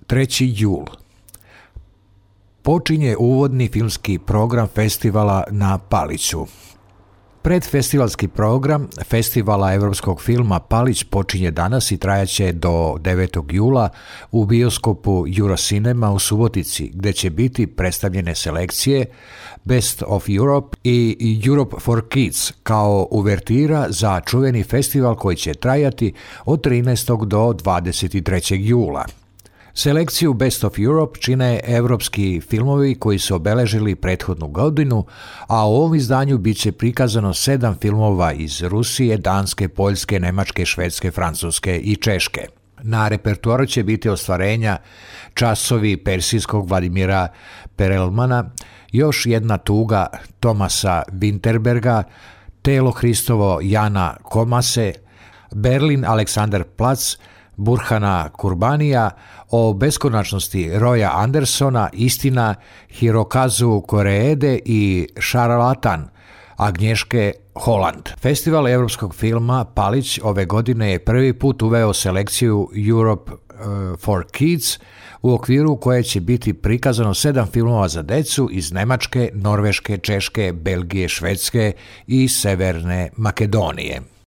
3. jul. Počinje uvodni filmski program festivala na Paliću. Predfestivalski program Festivala evropskog filma Palić počinje danas i trajaće do 9. jula u bioskopu Eurocinema u Subotici, gdje će biti predstavljene selekcije Best of Europe i Europe for Kids kao uvertira za čuveni festival koji će trajati od 13. do 23. jula. Selekciju Best of Europe čine evropski filmovi koji su obeležili prethodnu godinu, a u ovom izdanju bit će prikazano 7 filmova iz Rusije, Danske, Poljske, Nemačke, Švedske, Francuske i Češke. Na repertoaru će biti ostvarenja Časovi persijskog Vladimira Perelmana, Još jedna tuga Tomasa Winterberga, Telo Hristovo Jana Komase, Berlin Aleksandar Plac, Burhana Kurbanija, O beskonačnosti Roya Andersona, Istina Hirokazu Koreede i Šarlatan Agnješke Holland. Festival evropskog filma Palić ove godine je prvi put uveo selekciju Europe for Kids, u okviru koje će biti prikazano 7 filmova za decu iz Nemačke, Norveške, Češke, Belgije, Švedske i Severne Makedonije.